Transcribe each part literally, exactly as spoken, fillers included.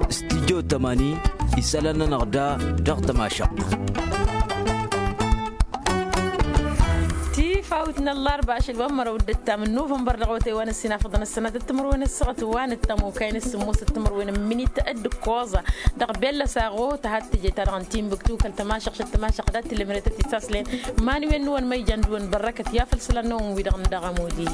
Studyo tămani isălan-nănăɣ da dăɣ-tămašăɣt. Tifawt n-ăllarba ašăl wa n-mărăw d-ǝttam n-nuvănbăr dăɣ-awătay wa n-ăssinafăḍăn ăssănat d-timǝrwen ăssaɣăt wa n-ăttămokay n-ăssǝmmos d-timǝrwen n-minit d-ǝkkoẓa dăɣ-bella saɣo tăhat tǝje-ta-dăɣ n-timbuktu kăl-tămašăɣt šăt-tămašăɣt dat-tǝlǝmret ătisaslen. Iman-wen n-wăn ma ijan d-wăn bărrăkăt i-afăl isălan-năwăn wi-dăɣ n-dăɣ ămud-i.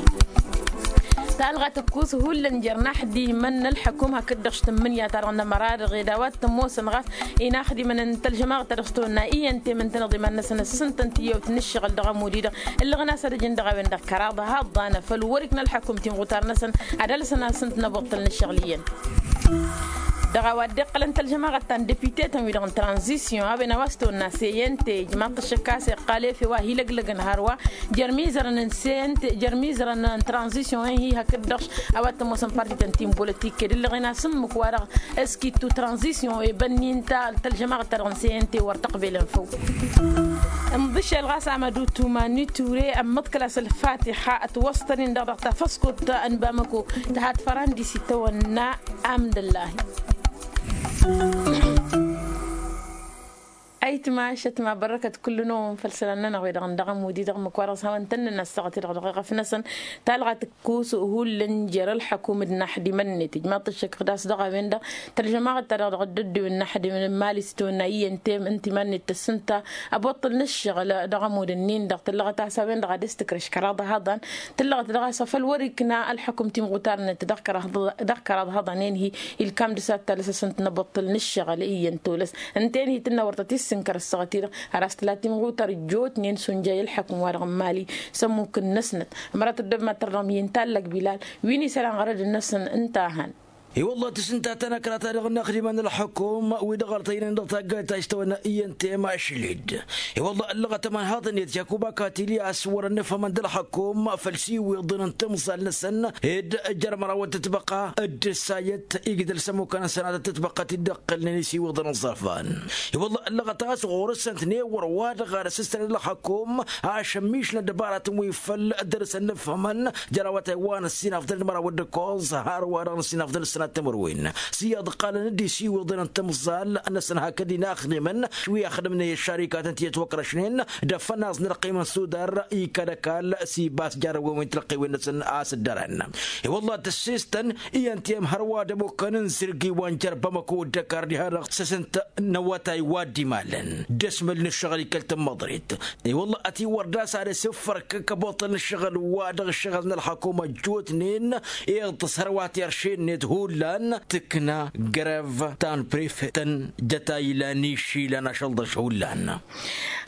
Talɣa tǝkkus hullan jer-inaxdimăn n-ălḥăkum hakd-dăɣ š-tǝmmǝnǝya-ta-dăɣ n-ămăra-dăɣ ed a-wa t-ămoosăn ɣas inaxdimăn n-tălžămaɣăt-ta-dăɣ s-tăwănna iyyăn temǝn-tăn-dăɣ d-iman-năsăn ăssǝntăn tiyyăwt n-ǝššăɣǝl dăɣ-ămud-i-dăɣ. Ǝllăɣăn a-s ad-ăjǝn dăɣ-a-wen-dăɣ kăraḍ haḍan făll-wăr-ik n-ălḥăkum timɣutar-năsăn ad-alsăn a-s ǝnta n-ăboṭṭăl n-ǝššăɣǝl iyyăn. Dăɣ-a-wa dd-iqqălăn tălžămaɣăt ta n-depite-tăn-wi-dăɣ n-tranzisyon a-wen a-wa s-tăwănna seyente ijmaḍ-t ăššăk a-s iqqal efew a hi-lăglăgăn hărwa jer-imizărăn n-seyente jer-imizărăn n-tranzisyon-en-hi hakd-dăɣ a-wa t-ămoosăn parti-tăn ti n-bolătik ed ǝllăɣen a-s ǝmmǝk wa-dăɣ ăskittu tranzisyon ebănni ǝnta tălžămaɣăt-ta-dăɣ n-seyente wăr tăqbelăn făw. Ǝnḍǝšel ɣas amădu tumani ture ămmăḍkăl a-s ălfatiha ătwăṣtăn-in-dăɣ dăɣ-tafăskut n-bamăko tăhat fărandis itawănna. Amdăllahi. Ayǝtma ašăt ma bărrăkăt kull-năwăn făll-isălan-nănăɣ wi-dăɣ n-dăɣ-ămud-i-dăɣ ǝmmǝk wa dăɣ-s hawăn-tăn-nǝnna ăssaɣăt-i-dăɣ dăɣ-eɣăf-năsăn. Talɣa tǝkkus hullan jer-ălḥăkum d-inaxdimăn-net ijmaḍ-t ăššăk ɣas dăɣ-a-wen-dăɣ tălžămaɣăt-ta-dăɣ dăɣ-dd-ăddowen n-inaxdimăn n-imali s-tăwănna iyyăn temǝn timan-net tăssǝnta. Ăboṭṭǝl n-ǝššăɣǝl dăɣ-ămud-ǝnnin-dăɣ tǝllăɣăt a-s a-wen-dăɣ ad-dd-tǝkrăš kăraḍ ăhaḍan. Tǝllăɣăt dăɣ-a-s afăl wăr-ikna ălḥăkum timɣutar-net dăɣ-kăraḍ ăhaḍan-en-hi. Ilkam dăr-s ad-talăs a-s ǝnta n-ăboṭṭǝl n-ǝššăɣǝl iyyăn tolăs ǝnta-en-hi tǝnna wăr tăt-issǝnkăr ăssaɣăt-i-dăɣ. Har a-s tǝla timɣutar ǝjjootnen s-unjay ălḥăkum-wa-dăɣ n-imali s-ămmuk-năsnăt. Ămărat ăddob mad-tărdăɣ mǝyyǝn tallăg bilal wi n-isălan ɣărăd-năsăn ǝnta a han. I-wălla tǝsǝntatăn ăkrata dăɣ-inaxdimăn n-ălḥăkum wi-dăɣ ăltăynen dăɣ-taggayt ta s-tăwănna iyyăn tema ašlid. I-wălla ăllăɣăt ămanhaḍăn-net jakuba katili a-s wărăn ǝfhămăn d-ălxăkum făll-isiwǝḍăn n-timẓal-năsăn ed jer-măraw d-tǝtbăqqa d-ǝssayăt igdăl s-ămmukăn n-sănatăt tǝtbăqqa ti dd-ǝqqǝlnen isiwǝḍăn ăẓẓărfan. I-wălla ăllăɣăt a-s ɣur-săn tǝnewăr wa-dăɣ ad-ăssǝstăned ălxăkum ašămmišna ăddăbaratăn wi făl dăr-săn n-ǝfhămăn jer-awătay wa n-ăssinafḍăn d-măraw d-ǝkkoẓ hărwa-dăɣ n-ăssinafḍăn d-sănat timǝrwen. S-iyyăḍ ǝqqalăn-dd isiwǝḍăn n-timẓal-năsăn hakd inaxdimăn wi ăxdǝmnen i-ăššarikatăn ti ătwăkrăšnen d-afănaẓ n-ălqim n-sudar ikad ăkall s-ibas jarrăwen wi n-tilăqqiwen-năsăn a-s dd-ărăn. I-wălla tăssistăn iyyăn ti ămhărwa d-ămukăn n-zǝrgi wa n-jer-bamăko d-ăkar diha-dăɣ s-asǝnt n-awătay wa dd-imalăn d-asmăl n-ǝššăɣǝl ikăl tămmăḍrit. I-wălla ătiwăr d-a-s ad-asǝffărkăk ăboṭṭăl n-ǝššăɣǝl-wa-dăɣ ǝššăɣǝl n-ălxăkum ăjjootnen iḍ tăsărwa tirše-net hullan tǝkna grev ta n-prefet ta n-jătay ilan išilan ašăl-dăš hullan.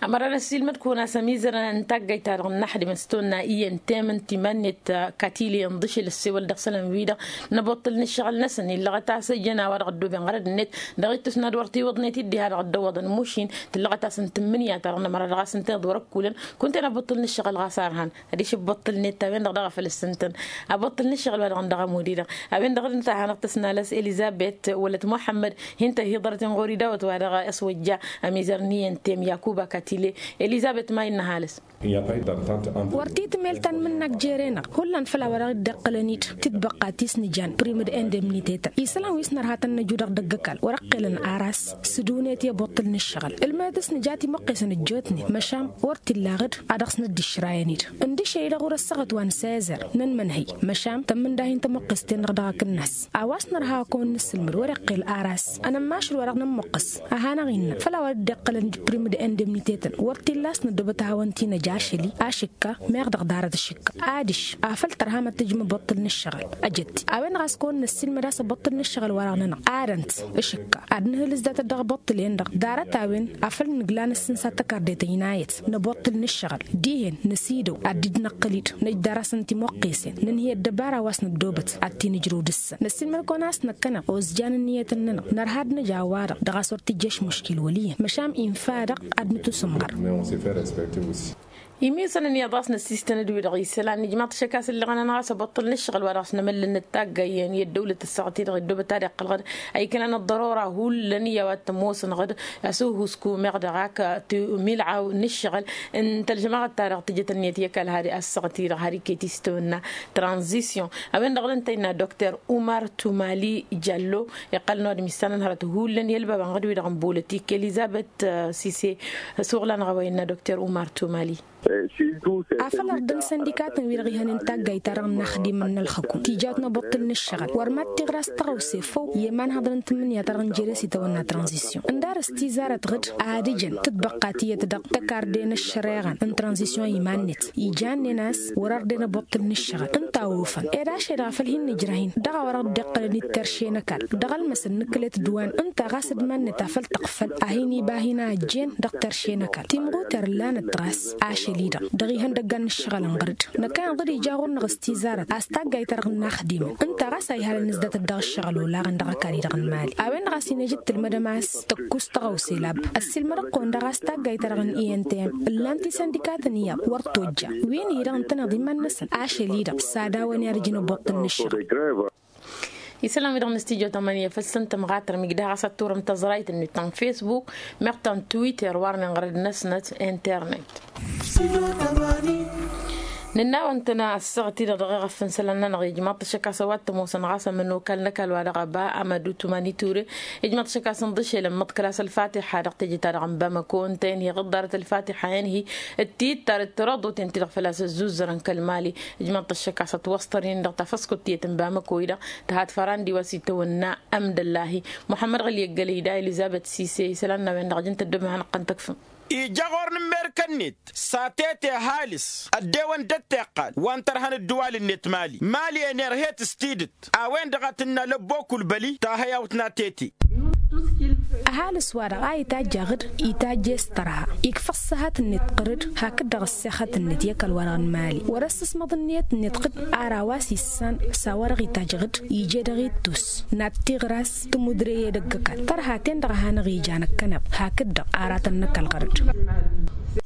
Ămăra n-ăssiilmăd-kăwăn a-s ămizărăn n-taggayt-ta-dăɣ n-inaxdimăn s-tonna iyyăn temǝn timan-net katili ǝnḍǝšǝl ăssewăl dăɣ-isălan-wi-dăɣ n-ăboṭṭǝl n-ǝššăɣǝl-năsăn illăɣăt a-s ǝjăn a-wa-dăɣ ăddooben ɣărăd-net dăɣ-ittus n-ad-wăr tiwǝḍnet-dd diha-dăɣ ăddăwwăḍăn mušin. Tǝllăɣăt a-s n-tǝmmǝnǝya-ta-dăɣ n-ămăra dăɣ-a-s ǝnta iḍwăr ăkkulăn kunta-en ăboṭṭǝl n-ǝššăɣǝl ɣas arhan. Adiš ăboṭṭǝl-net a-wen-dăɣ daɣ a făl ǝssǝntăn ăboṭṭǝl n-ǝššăɣǝl wa dăɣ-n dăɣ-ămud-i-dăɣ. A-wen-dăɣ dd-nǝtaha hanăɣ-tăsnalăs elizăbet wălăt muḥămmăd. Hin-tăhiḍărăt inɣori dawăt wa dăɣ-ăswăjja ămizăr n-iyyăn tem yakuba katile. Elizăbet ma innă halǝs. Wăr t-tǝmmel tanmǝnnak jere-năɣ hullan făll-a-wa dăɣ-dd-iqqălăn-dd tǝtbăqqa ti s-nǝjan prim d-indemnite-tăn isălan wi s-nărha tăn-năju dăɣ-idăgg ăkall wăr-ǝqqelăn aras. S-dune-t i-ăboṭṭǝl n-ǝššăɣǝl ǝlmǝnăt s-nǝja timăqqesăn ăjjootnen măšan wăr t-illa aɣǝd. A dăɣ-s năddišrayăn-dd ǝndǝšăy-dăɣ wăr-ăssaɣăt wa n-sezăr n-ănmănhăy. Măšan tămmǝnda hin-tămăqqest-en-dăɣ dăɣ-akǝnnas a-wa s-nărha a kăwăn-nǝssǝlmǝd wăr-iqqel aras. Ănămmašăl wa dăɣ-nămmuqqǝs a hanăɣ-innă făll-a-wa dd-iqqălăn d-prim d-indemnite-tăn wăr t-illa a-s năddobăt a hawăn-t-inăj ašăl-i ašǝkka meɣ dăɣ-darăt ašǝkka. Adiš afăl tărha mad-tǝjǝm ăboṭṭǝl n-ǝššăɣǝl ăjăt-t a-wen-dăɣ a-s kăwăn-năssiilmăd a-s ăboṭṭǝl n-ǝššăɣǝl wa dăɣ-nănăɣ adăn-t ašǝkka ad-nǝhǝlǝs datăt dăɣ-iboṭṭǝlen-dăɣ. Ḍarăt-a-wen a făl nǝgla năssinsat tăkarde tăynayăt n-ăboṭṭǝl n-ǝššăɣǝl dihen năsidăw ad-dd-năqqǝl-dd năjdar-asăn timuqqesen nǝnhǝy ăddăbara wa s-năddobăt ad-t-inǝjrǝw dăɣ-săn năssiilmăd-kăwăn a-s năkkăneɣ ozjan ǝnniyăt-nănăɣ nărha ad-năj a-wa-dăɣ dăɣ-a-s wăr t-ijjăš muškil wăl' iyyăn măšan infa-dăɣ ad-nǝtusǝmɣăr. Imisănăn iyyăḍ a-s năssistăn d-wi-dăɣ isălan nǝjmaḍ-t šăkk a-s ǝllăɣăn-anăɣ a-s ăbăṭṭăl n-ǝššăɣǝl wa dăɣ-s nămăllăn nǝttaggayyăn i-ăddăwlăt ăssaɣăt-i-dăɣ ăddobăt ad-iqqăl ɣǝd a iknan ăḍḍărora hullan iyyăw ad-t-ămoosăn ɣǝd. Asuhusku meɣ dăɣ-ak timilɣaw n-ǝššăɣǝl n-tălžămaɣăt-ta-dăɣ tǝjăt ǝnniyăt i-ăkall har ăssaɣăt-i-dăɣ har iket istăwănna tranzisyon. A-wen-dăɣ dăɣ-tăyna dokter umar tumali jallo iqqălăn wa dăɣ-missanăn hărăt hullan i-ălbabăn ɣǝd-wi-dăɣ n-bolătik elizăbet sise. Ăsuɣlan ɣawăyăn n-dokter umar tumali. Afăl ărdăn săndikatăn wi-dăɣ ihănen taggayt-ta-dăɣ n-inaxdimăn n-ălxăkum tijawt n-abuṭṭǝl n-ǝššăɣǝl wăr mad-tiɣras tăɣawse făw i-imanhăḍăn n-tǝmmǝnǝya-ta-dăɣ n-jere s-itawănna tranzisyon ǝndarăs tizarăt ɣǝd ad-ǝjăn tǝtbăqqa tiyyăt dăɣ-tăkarde n-ăššăreɣăn n-tranzisyon iman-net. Ijannen a-s wăr-ărden abuṭṭǝl n-ǝššăɣǝl ǝnta a ofăn ed ašăl-i-dăɣ a făl hin-nǝjrăh-in dăɣ-a-wa dăɣ-dd-iqqălăn i-terše n-ăkall dăɣ-ălmăsăn n-ǝkkǝlet d-wa n-ǝnta ɣas d-iman-net a făl tăɣfăl a hin-iba hin-a ăjjeen dăɣ-terše n-ăkall timɣuter ǝllanăt ɣas ašăl-i-dăɣ dăɣ-ihăndăggan n-ǝššăɣǝl n-ɣărăd. Năkkăneḍ-dd ija ɣur-năɣ s-tizarăt a-s taggayt-ta-dăɣ n-inaxdimăn ǝnta ɣas a ihalăn ǝzdatăt dăɣ-ǝššăɣǝl olaɣăn dăɣ-ăkall-i-dăɣ n-imali a-wen-dăɣ a-s inăj d-tǝlmădăm a-s tăkkus tăɣawse lab. Ăssiilmăd-kăwăn daɣ a-s taggayt-ta-dăɣ n-i n t m ǝllan-t isăndikatăn iyyăḍ wăr tojja wi n-hi-dăɣ ǝntăneḍ iman-năsăn ašăl-i-dăɣ s-ad-awăn i-ad-ǝjǝn ăbuṭṭǝl n-ǝššăɣǝl. Isălan-wi-dăɣ n-studyo tămănǝya făl s-ǝntăm ɣatărmik daɣ a-s ad-turăm tăẓrayt-net ta n-facebook meɣ ta n-twitter warnen ɣărăd-năsnăt internet. Nǝnn'-awăn-tăn ăssaɣăt-i-dăɣ dăɣ-eɣăf n-isălan-nănăɣ ijmaḍ-t ăššăk a-s ăwadǝm osăn ɣas ămănokal n-ăkall wa dăɣ-ăba amădu tumani ture. Ijmaḍ-t ăššăk a-s ǝnḍǝšel ămmăḍkăl a-s ălfatiḥa dăɣ-teje-ta-dăɣ n-bamăko ǝnta-en hi-ɣǝḍḍarăt ălfatiḥa-en hi-dd-tidd ta d-tărăḍoten ti-dăɣ făl-a-s ăzzuzzărăn kăl-mali. Ijmaḍ-t ăššăk a-s ătwăsṭăr-in dăɣ-tafăskut tiyyăt n-bamăko-i-dăɣ tǝhat fărandi wa s-itawănna ămdăllahi muḥămmăd ɣǝl i-ăggălăy da elizăbet sise isălan n-a-wen-dăɣ ǝjǝn-t ăddooben ad-hanăɣ-tăn-tăkfăm. Ija ɣur-nǝmmer kănnit s-atete ăhalǝs ăddewăn d-ătteqqal wa n-tărha n-ǝddǝwal-net mali mali enerhet s-tidǝt. A-wen-dăɣ a tǝnnal ăbbokulbăli tahăyawt n-atete. Ăhalǝs-wa-dăɣ a itajj aɣǝd itajj s-tărha ikfa ăṣṣăhăt-net ɣǝrǝd hakd-dăɣ ăssexăt-net i-ăkall-wa-dăɣ n-mali wăr-ăssǝsmăḍ ǝnniyăt-net ɣǝd. Ar a-wa s-issan s-a-wa-dăɣ itajj ɣǝd ije dăɣ-ittus n-ad-tiɣras tǝmudre i-edăgg ăkall tărha-ten-dăɣ a hanăɣ-ija năkkăneḍ hakd-dăɣ aratăn n-ăkall ɣărăd.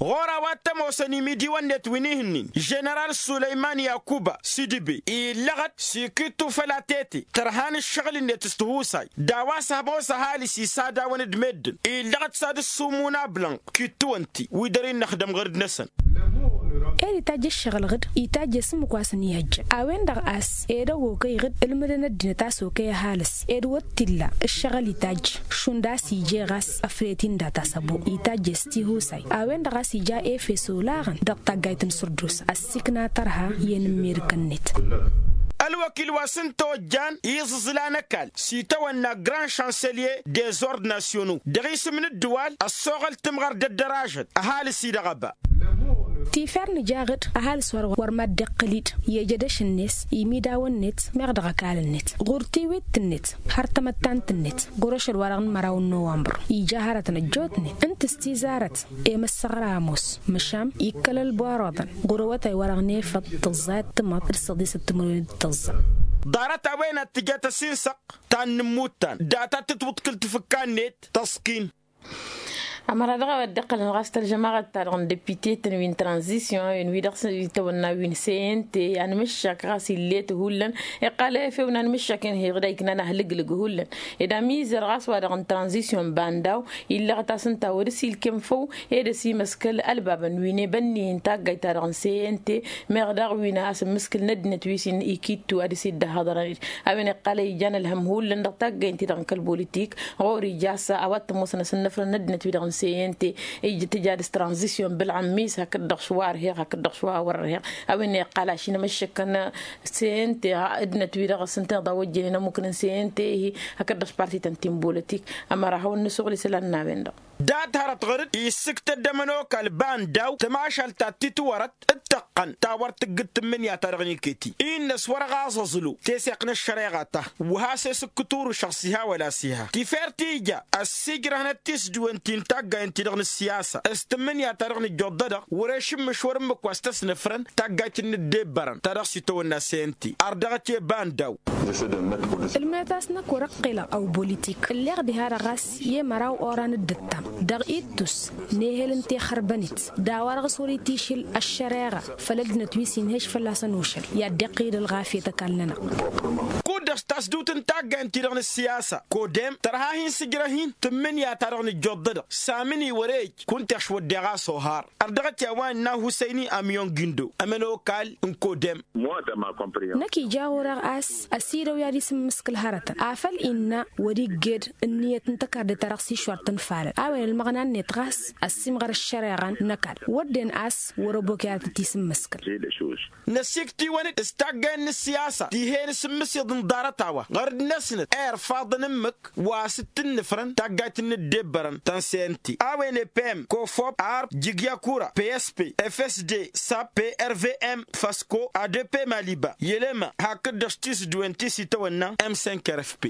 Ɣur-a-wa t-ămoosăn imidiwăn-net wi n-ihǝnnin ženeral sulăyman yakuba sidibe illăɣăt s-ikittu făll-atete tărha n-ǝššăɣǝl-net s-tihusay d-a-wa s-ămoos ăhalǝs isadawăn d-meddǝn illăɣăt s-ad-ǝssumun ablănɣ kittuwăn-ti wi dăr-innăxdăm ɣǝrǝd-năsăn. Ed itajj ǝššăɣǝl ɣǝd itajj i-sǝmmǝk wa s-ănihăjjăn a-wen-dăɣ a-s ed ăwwokăy ɣǝd ǝlmǝdăn ăddinăt a-s okăy ăhalǝs ed wăr t-illa ǝššăɣǝl itajj šund a-s ije ɣas ăfret-in data s-ăbo itajj s-tihusay a-wen-dăɣ a-s ija efes olaɣăn dăɣ-taggayt n-sărdos ăssiikna tărha i-enǝmmirǝkăn-net. Ălwăkil wa s-ǝnta ojjan iẓǝẓla n-ăkall s-itawănna grand chancelier des ordres nationaux dăɣ-isǝm n-ǝddǝwal ăssoɣăl tǝmɣăr d-ăddăražăt ăhalǝs-i-dăɣ ăba. Tifer nǝja ɣǝd ăhalǝs wa-dăɣ wăr mad-dd-iqqǝl-dd i-ejădăš-net imidawăn-net meɣ dăɣ-ăkall-net ɣur-tiwit-net har tamăttant-net ɣur-ašăl-wa-dăɣ n-măraw n-nowămbăr ija hărătăn ăjjootnen ǝnta s-tizarăt i-măssăɣra ămoos măšan ikkăl ălboaroḍăn ɣur-awătay-wa-dăɣ n-efăḍ tǝẓẓayăt tǝmăḍ d-săḍisăt timǝrwen d-tǝẓẓa. Ḍarăt a-wen ad-tǝjăt ăsinsăɣ ta n-inǝmmuttan data tǝtwǝḍkǝl tǝfǝkka-net tăṣkin. Ămăra dăɣ-a-wa dd-iqqălăn ɣas tălžămaɣăt-ta-dăɣ n-depite-tăn wi n-tranzisyon a-wen wi-dăɣ s-itawănna wi n-cnt anmǝššak ɣas ill'-et hullan. Iqqal efew n-anmǝššak-en hi-dăɣ iknan ahlǝglǝg hullan ed amizăr ɣas wa-dăɣ n-tranzisyon bandaw illăɣăt-as ǝnta wăr-ăsilkem făw ed ăsimăskăl ălbabăn wi n-ebănni n-taggayt-ta-dăɣ n-cnt meɣ daɣ wi n-a-s ǝmmǝskǝl n-ăddinăt wi s-ikittu ad-dăɣ-s dd-ăhhăḍărăn-dd. A-wen iqqal a ijan ălhăm hullan dăɣ-taggaynt-i-dăɣ n-kăl-bolitik ɣur-ija a-s a-wa t-ămoosăn asǝnnăfrăn n-ăddinăt-wi-dăɣ n-cnt ija tǝja dăɣ-s tranzisyon bǝlɣǝm-is hakd-dăɣ šwa ărheɣ hakd-dăɣ šwa wăr-ărheɣ. A-wen iqqal ašinămăššăkăn cnt ăddinăt-wi-dăɣ s-ǝnta iḍa wăjjănen ămmukǝn n-cnt ihi hakd-dăɣ s-partităn ti n-bolotik. Ămăra hawăn-nǝsuɣǝl isălan n-a-wen-dăɣ. Dat-hărăt ɣur-dd issǝktăd d-ămănokal banda-w tămašalt ta t-titwărăt d-tăqq ăqqăn ta wăr tǝggǝd tǝmmǝnǝya-ta-dăɣ n-iket-i. Innă s-wăr-ăɣaẓ aẓlu teseɣt n-ăššăreɣa ta wăr has-esǝkkǝt urǝšăɣ s-iha wăla s-iha tifert ija ăssiijrăhnăt tisdǝwen-ti n-taggay ǝnta-dăɣ n-ăssiyasa s-tǝmmǝnǝya-ta-dăɣ nǝjjoḍ-dădăɣ wăr-ešǝmmǝš wăr-ǝmmǝk wa s-tăsnăfrăn taggayt n-ǝddebbărăn ta dăɣ-s itawănna s-e n-ti ardăɣăt i-ăba n-daw. Ǝlmǝnăt-as-năk wăr-ăqqilăɣ ăw bolitik ǝlleɣ diha-dăɣ ɣas i-măraw oran d-ǝttam dăɣ-ittus n-ehel n-tixărbănit d-a-wa-dăɣ s-wăr-itišǝl ăššăreɣa făll-ăddinăt wi s-inhăš fălla-săn ušăl i-ad-dd-iqqǝyǝd ălɣafyăt ăkall-nănăɣ. Kud-dăɣ s-tasdut n-taggay ǝnta-dăɣ n-ǝssiyasa kodem tărha hin-sǝjrăh-in tǝmmǝnǝya-ta-dăɣ nǝjjoḍ-dădăɣ s-amǝni wăr-e ej kunta ăšwăddeɣ a-s ohar. Ărdăɣăt i-a-wa ǝnna husăyni amyon gindo ămănokal n-kodem. Năkk ija ɣur-eɣ a-s ăsidăw i-ad-isǝmmǝskǝl hărătăn afăl innă wăr-igged ǝnniyăt n-tăkarde-ta-dăɣ s-išwar tǝnfalăn a-wen ălmăɣna-net ɣas ăssiimɣăr ăššăreɣa n-ăkall wădden a-s wăr-ăbok i-ad-tăt-isǝmmǝskǝl. Năsikt'-iwăn-dd s-taggay n-ǝssiyasa tihen s-ǝmmǝsiḍ n-ḍarăt-a-wa ɣărd-năsnăt irfaḍăn ǝmmǝk wa s-dd-tǝnnǝfrăn taggayt n-ǝddebbărăn ta n-snt a-wen epem kofop arb jigyakura psp fsd sap prvm fasko adp maliba yelema hakd-dăɣ s-tisdǝwen ti s-itawănna m cinq rfp.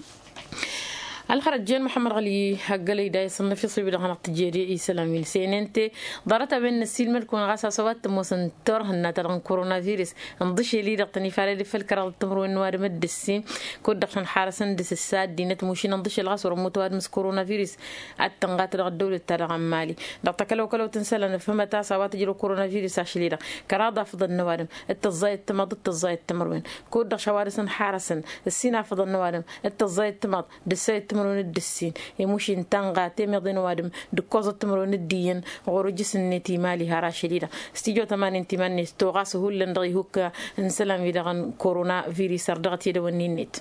Ălxărăt jen muḥămmăd ɣăli hăggălăy da isănnăf iṣib-i-dăɣ hanăɣ-tǝjjed i-isălan wi n-senente ḍarăt-a-wen n-ăssiilmăd-kăwăn ɣas a-s a-wa t-ămoosăn turhǝnna-ta-dăɣ n-koronavirus ǝnḍǝšel-i-dăɣ tăn-ifalăd făll-kăraḍăt timǝrwen n-ăwadǝm d-ǝssin kud-dăɣ tăn-xarăsăn dăɣ-s ǝssa ăddinăt mušin ǝnḍǝšel ɣas wăr-ămmut ăwadǝm s-koronavirus. Ad-tănɣat dăɣ-ăddăwlăt-ta-dăɣ n-mali dăɣ-takălăwkălăwt n-isălan ăfhămăt a-s a-wa tǝjrăw koronavirus ašăl-i-dăɣ kăraḍ afăḍăn n-ăwadǝm d-tăẓẓayăt timaḍ d-tăẓẓayăt timǝrwen kud-dăɣ šawadǝs ǝnxarăsăn ǝssin afăḍăn n-ăwadǝm d-tăẓẓayăt timaḍ d-ǝssayăt timǝrwen d-ǝssin. Imušin tănɣa temiḍe n-ăwadǝm d-ǝkkoẓăt timǝrwen d-iyyăn ɣur-ǝjjǝs-net imali har ašăl-i-dăɣ s-tijo tămanin timan-net toɣas hullan dăɣ-ihukka n-isălan-wi-dăɣ n-koronavirus ărdăɣăt i-dăwănni-net.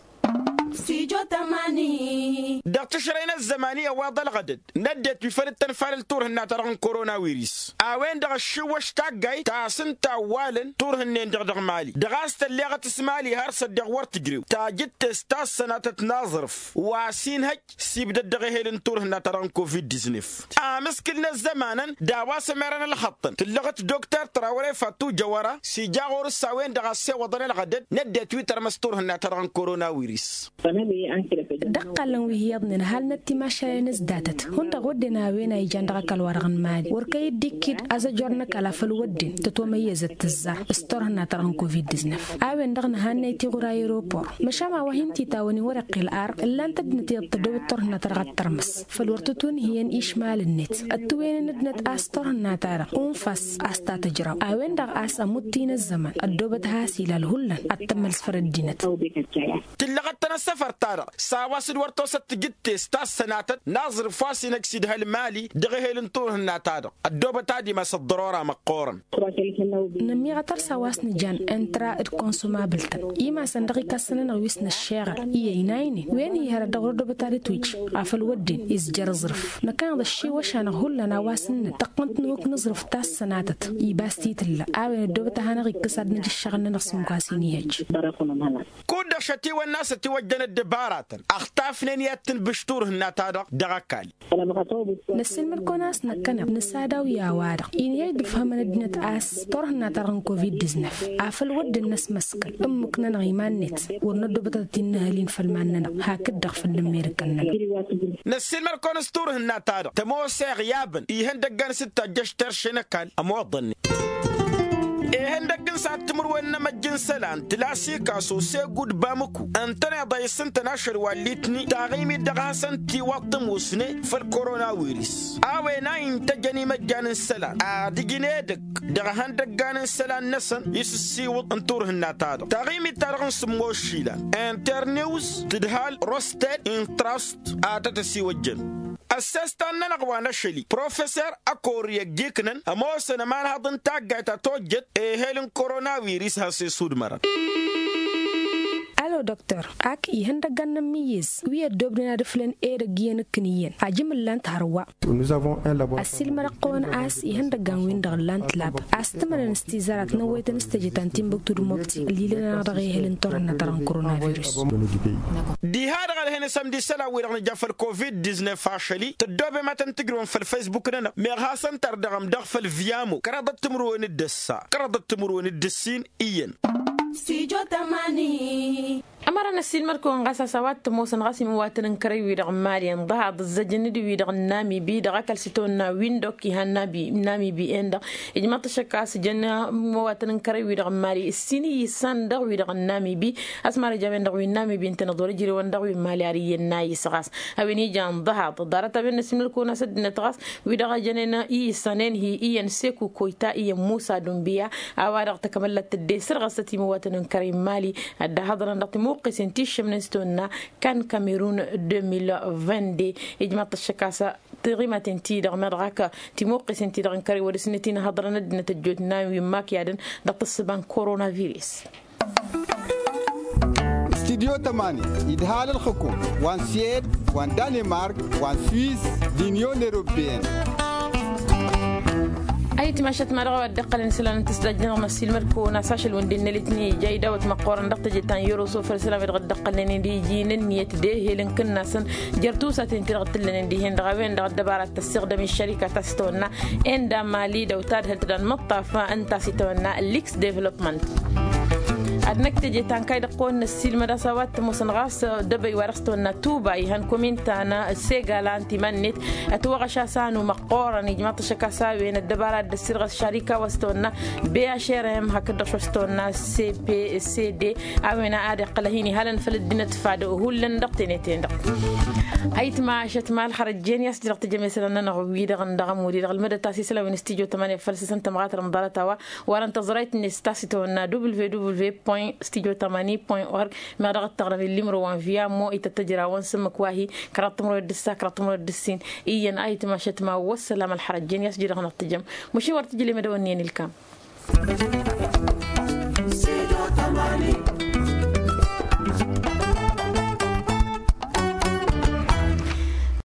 Dăɣ-tǝšrăy n-ăzzăman-i ăwaḍ ălɣădăd n-ăddinăt wi făl dd-tănfalăl turhǝnna-ta-dăɣ n-koronavirus a-wen-dăɣ ăššiwwăš taggayt ta s-ǝnta a ăwwalăn turhǝnnen-dăɣ dăɣ-mali dăɣ-a-s tălleɣăt s-mali har s-ăddiɣ wăr tǝjrew tajǝttest ta s-sănatăt n-aẓrǝf wa s-inhăj s-ibdăd dăɣ-ehel n-turhǝnna-ta-dăɣ n-covid-diznef. Amǝskǝl n-ăzzămanăn d-a-wa s-ămerăn ălxăṭṭăn tǝllăɣăt dokter trawre fatu jăwăra s-ija ɣur-s a-wen-dăɣ a ăssewăḍăn ălɣădăd n-ăddinăt wi tărmăs turhǝnna-ta-dăɣ n-koronavirus. Dăɣ-iqqalăn wi hi-iyyăḍnen ăhalnăt timašalen s-datăt hundăɣ wădden a-wen a ijan dăɣ-ăkall-wa-dăɣ n-mali wăr kăy-dd-ikkǝd azăjor n-ăkall a făl wădden tătomăyyăzăt tǝzzar s-turhǝnna-ta-dăɣ n-covid-diznăf. A-wen-dăɣ nǝhannăy tiɣur aeropor măšan a-wa hin-titawăn-in wăr-iqqǝl ar ǝllan-t ăddinăt iyyăḍ tăddobăt turhǝnna-ta-dăɣ ad-tărmǝs făl wăr tǝtwǝnhǝyăn išmalăn-net ǝttǝwǝynen ăddinăt a-s turhǝnna-ta-dăɣ unfas a-s ta tǝjraw a-wen-dăɣ a-s ămudd-t-in ăzzăman ăddoobăt has-ilal hullan ad-tămmăls făll-ăddinăt. Tǝllăɣăt-tăn ăssăfăr-ta-dăɣ s-a-wa s-dd-wăr tosăt tǝjǝttes ta s-sănatăt n-aẓrǝf wa s-inăgg s-idha ălmali dăɣ-ehel n-turhǝnna-ta-dăɣ ăddoobăt ad-imas ăḍḍărora măqqoorăn. Nămmiɣătăr s-a-wa s-nǝjan intra d-konsomabǝl-tăn imasăn dăɣ-ikassăn-nănăɣ wi s-năššeɣăl i-ăynaynen wen hi-hărăt dăɣ-wăr ăddoobăt ad-ǝtwǝj afăl wădden izjăr aẓrǝf. Năkkăneḍ ăššiwăšan-năɣ hullan a-wa s-ǝnnăn tăqqǝnt n-ehuk n-aẓrǝf ta s-sănatăt ibas titǝlla a-wen ăddoobăt a hanăɣ-ikkǝs ad-nǝj ǝššăɣǝl-nănăɣ s-imǝkwa s-inihăjj. Kud-dăɣ šătiwănna a-s ătiwăjjăn ăddăbaratăn ăxtafnen i-ad-tǝnbǝš turhǝnna-ta-dăɣ dăɣ-ăkall. Năssiilmăd-kăwăn a-s năkkăneḍ nǝsadaw i-a-wa-dăɣ inhăj d-ǝfhămăn ăddinăt a-s turhǝnna-ta-dăɣ n-covid-diznăf afăl wădden năsmăskăl ǝmmǝk-nănăɣ iman-net wăr năddoobăt ad-t-innăhăl-in făll-iman-nănăɣ hakd-dăɣ făll-ǝmmerǝkăn-nănăɣ. Năssiilmăd-kăwăn s-turhǝnna-ta-dăɣ tămoos eɣyabăn ihăndăggan s-dd-tajjăš terše n-ăkall ămoḍăn-net. Ihăndăgg n-săhat timǝrwen n-emăjj n-isălan tlasikaso s-egud bamǝku ǝntăneḍ a isǝntăn ašăl wa n-litni taɣimit dăɣ-hasăn-tiwaḍ tămoosne făll-koronawiris a-wen a intăjăn imăjjan n-isălan ad-ǝjǝn edăgg dăɣ-ihăndăggan n-isălan-năsăn i-sǝssiwǝḍ n-turhǝnna-ta-dăɣ taɣimit-ta-dăɣ n-sǝmmos išilan internews tǝdhal rosted intrast a tăt-ăsiwăjjăn. Ăssestan-nănăɣ wa n-ašăl-i professer ăkori ăjjiknăn ămoosăn ămanhăḍ n-taggayt a tojjăt ehel n-koronawiris has-esudmărăn. Dăktor ak ihăndăggan n-ămmiyyǝz wi ăddoobnen ad-ǝflăn edăgg iyyăn ǝkkǝn iyyăn ajǝm ǝllan-t hărwa. Ăssiilmădăɣ-kăwăn a-s ihăndăggan-win-dăɣ ǝllan-t lab a-s tǝmănăn s-tizărat n-ăwwăyătăn s-teje ta n-timbuktu d-mobti ălilăn-anăɣ dăɣ-ehăl n-turhǝnna ta dăɣ-n koronavirus. Diha-dăɣ ălhen asămdi isălan-wi-dăɣ nǝja făll-covid-diznef ašăl-i tăddoobem ad-tăn-tǝjrǝwăn făll-faysbuk-nănăɣ meɣ hasăn-tărdăɣăm dăɣ-făll-viyamo kărăḍăt timǝrwen d-ǝssa kărăḍăt timǝrwen d-ǝssin iyyăn. Studio tamani. Ămăra n-ăssiilmăd-kăwăn ɣas a-s a-wa t-ămoosăn ɣas imǝwatăn n-kărăy-wi-dăɣ n-mali ǝnḍăhaḍ ǝzzăjăn-dd wi-dăɣ n-namibi dăɣ-ăkall s-itawănna wi n-dok iha n-namibi-en-dăɣ. Ijmăḍ-t ăššăk a-s jăn imǝwatăn n-kărăy-wi-dăɣ n-mali ǝssin iyyǝssan dăɣ-wi-dăɣ n-namibi. A-s mara ija a-wen-dăɣ wi n-namibi ǝntăneḍ wăr-ǝjrewăn dăɣ-wi n-mali ar iyyăn n-ayǝs ɣas a-wen ija ǝnḍăhaḍ ḍarăt a-wen n-ăssiilmăd-kăwăn a-s ăddinăt ɣas wi-dăɣ a jănen iyyǝssan-en-hi iyyăn seku koyta iyyăn musa dunbiya. A-wa-dăɣ takămăllat tădde sărɣăsăt imǝwatăn n-kărăy n-mali ad-dd-ăhhăḍrăn dăɣ-timuqqesen ti ǝššămnen s-tawănna kan kamerun deux mille vingt-deux. Ijmăḍ-t ăššăk a-s tiɣimaten-ti-dăɣ meɣ dăɣ-ak timuqqesen-ti-dăɣ n-kărăy wăr-dăɣ s-năt-in-ăhhăḍrăn ăddinăt ăjjootnan wi n-imakiyadăn dăɣ-tǝssǝba n-koronavirus. Studio tămani idhal ǝlxǝkum wa n-siyed wa n-danemark wa n-swiss d-inyon europeyăn. Ayǝtmašăt ma dăɣ-a-wa dd-iqqălăn isălan n-tǝsdajjăn dăɣ-măssilmăd-kăwăn a-s ašăl wǝndin n-elitni ija idawăt măqqoorăn dăɣ-teje ta n-yoroso făll-isălan wi dăɣ-dd-iqqălnen d-iji n-ǝnniyăt d-ehel n-kǝnnasăn jer-tusaten ti-dăɣ t-ǝllănen dihen-dăɣ a-wen-dăɣ ăddăbara tăssiɣdăm iššărika ta s-tawănna enda mali d-awtad hăl tădan măṭṭaf ǝnta s-itawănna liks development. Ad-năkk teje ta n-kayy dăɣ-kăwăn-năssiilmăd a-s a-wa t-ămoosăn ɣas dăbăy wa dăɣ-s tawănna tuba ihăn komin ta n-segala n-timan-net. Ătwăɣăš a-s anu măqqoorăn ijmaḍ-t ăššăk a-s a-wen ăddăbara dd-ăssirɣăs šarika wa s-tawănna b h r m hakd-dăɣ šoš s-tawănna c p c d. A-wen a ad-iqqăl a hin-ihalăn făll-ăddinăt fad hullan dăɣ-tenet-en-dăɣ. Ayǝtmašăt ma ălxărăjjen i-a-s dd-dăɣ-tǝjăm isălan-nănăɣ wi-dăɣ n-dăɣ ămud-i-dăɣ ălmădăt a-s isălan wi n-studyo tămănăya făll-săsăn tămɣatăr n-ḍarăt a-wa wărăn tăẓrayt-net s-ta s-itawănna w w w point studio tamani point org. Meɣ dăɣ-dd-tăɣrăm illimro wa n-viyamo ităt tăjrawăn s-ǝmmǝk wa hi-kăraḍ timǝrwen d-ǝssa kăraḍ timǝrwen d-ǝssin. Iyyăn ayǝtmašăt ma wăssălam ălxărăjjen i-a-s dd-dăɣ-năɣ tǝjăm. Măšin wăr tǝjǝlem edăwănni ănilkam.